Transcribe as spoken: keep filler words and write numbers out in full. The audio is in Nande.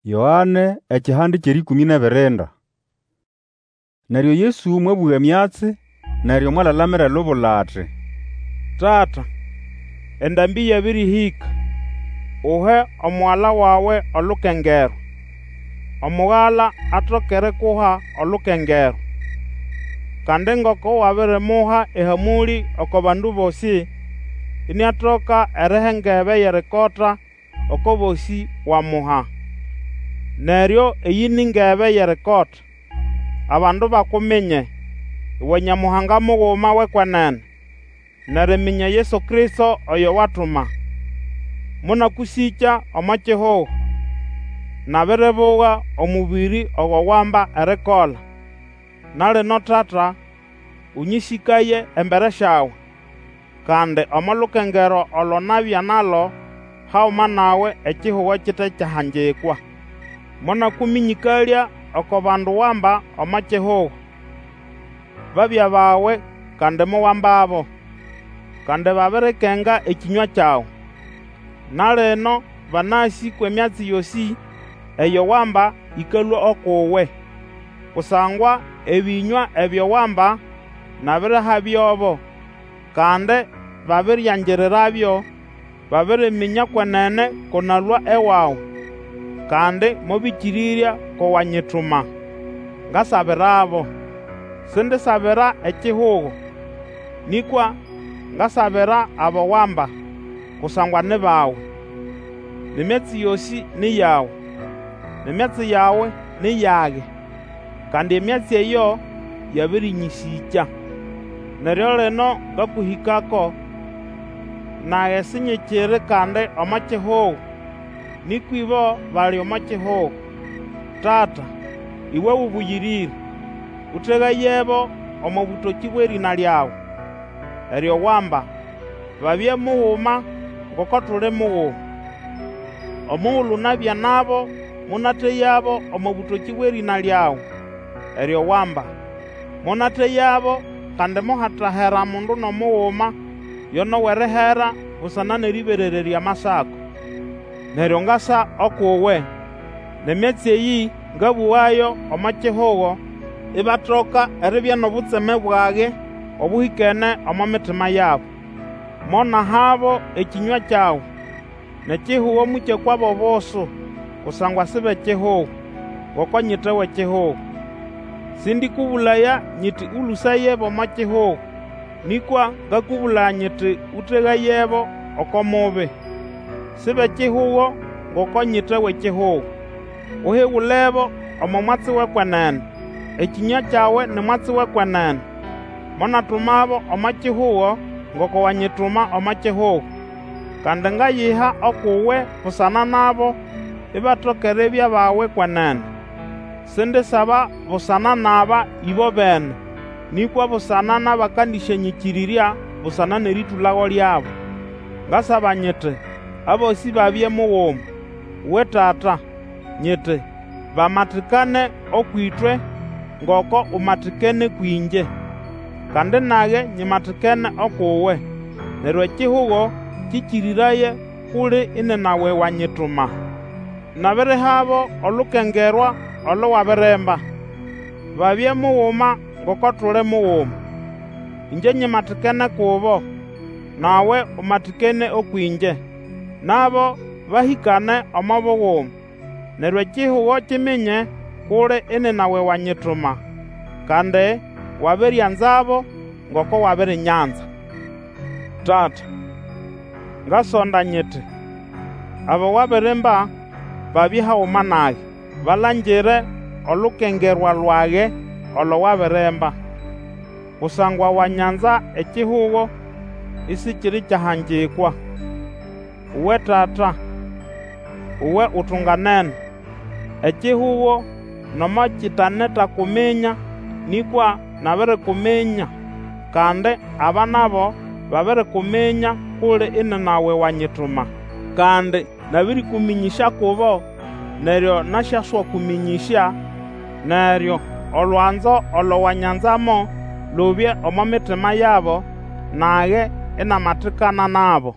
Yoane ekihande ky'erĩkũmĩ n'ebirinda. Neryo Yesu mwabũga emyatsi, neryo mwalalamira elubula ati, Tata, endambĩ yabĩrĩhĩka, Uhe Omugala wawe olukengerwa, Omugala atoke erikuha olukengerwa. Kandi ngoko wabirimuha ehamũlĩ oko bandu bosĩ, iniatoka eriha engebe y'erikota oko bosĩ wamuha. Neryo eyĩ ni ngebe y'erikota, abandu bakuminye, uwe Nyamuhanga muguma w'ekwenene, n'eriminya Yesu Kristo oyo watuma. Monakũsĩkya omo kihugo, nabiribuga omũbĩrĩ ogo wamba erikola. Na lino Tata, ũnyĩsĩkaye embere syawe, kandi omo lukengerwa olo nabya nalo haguma nawe ekihugo kite kyahangikwa. Monakũmĩnyĩkalya oko bandu wamba omo kihugo. Babya bawe kandi mowambabo, kandi babirikenga ekĩnywa kyawe. Na lino banasĩ kw'emyatsi yosĩ eyo wamba ĩkalũa uk'uwe. Kusangwa ebĩnywa ebyo wamba nabirihabyobo, kandi babiriangirirabyo, babiriminya kwenene ko nalũa ewawe, kandi mobĩkĩrĩrya ko wanyituma. Ngasabirabo. Sindisabira ekihugo, nĩkwa ngasabira abo wamba, kusangwa ni bawe. N'emyatsi yosĩ ni yawe, n'emyatsi yawe ni yage, kandi emyatsi eyo yabĩrĩnyĩsĩkya. Neryo lino ngakũhĩkako, nage sinyikiri kandi omo kihugo, nĩkwa ĩbo bali omo kihugo. Tata, Îwe Ũbũyĩrĩre, ũtegayebo omo bũtokĩ bw'erĩna lyawe, eryo wamba, babye muguma ngoko tuli muguma. Omugulu nabya nabo monateyabo omo bũtokĩ bw'erĩna lyawe, eryo wamba. Monateyabo, kandi mohatahera mundu n'omuguma yo n'ow'erihera busana n'erĩberererya Amasako. Neryo ngasa uk'uwe, n'emyatsi eyĩ ngabũgayo omo kihugo, ibatoka eribya n'obutseme bwage obũhĩkene omo mitima yabo. Monahabo ekĩnywa kyawe, n'ekihugo mokyakwabo obusu, kusangwa si b'ekihugo, ngoko nyite w'ekihugo. Sĩndĩkũbũlaya nyiti Ũlũsayebo omo kihugo, nĩkwa ngakũbũlaya nyiti Ũtegayebo oko mubi. Si b'ekihugo ngoko nyite w'ekihugo. Uhigulebo omo mwatsi w'ekwenene. Ekĩnywa kyawe ni mwatsi w'ekwenene. Monatumabo omo kihugo ngoko wanyituma omo kihugo. Kandi ngayiha uk'uwe busana nabo, ibatoka eribya bawe kwenene. Sindisaba busana n'aba ĩbobene, nĩkwa busana n'abakandĩsyanyĩkĩrĩrya busana n'erĩtũlago lyabo. Ngasaba nyiti, Abosĩ babye muguma. Uwe Tata, nyiti, bamatikane ũkw'ĩtwe ngoko umatikene kwĩngye, kandi nage nyimatikene uk'uwe. Neryo ekihugo kĩkĩrĩraye k'uli ininawe wanyituma. Nabirihabo olukengerwa olo wabirimba, babye muguma ngoko tuli muguma. Ĩngye nyimatikene kubo, nawe umatikene ũkw'ĩngye, nabo bahĩkane omo buguma. Neryo ekihugo kiminya k'uli ininawe wanyituma, kandi wabirianzabo ngoko wabirinyanza. Tata, ngasonda nyiti, abo wabirimba babye haguma nage, balangire olukengerwa lwage olo wabirimba. Kusangwa wanyanza ekihugo isikiri kyahangikwa. Uwe Tata, uwe utunganene, ekihugo nomo kitanetakuminya, nĩkwa nabirikuminya, kandi aba nabo babirikuminya k'uli ininawe wanyituma. Kandi nabĩrĩkũmĩnyĩsya kubo, neryo nasyaswakũmĩnyĩsya, neryo olwanzo olo wanyanzamo lubye omo mitima yabo, nage inamatikana nabo.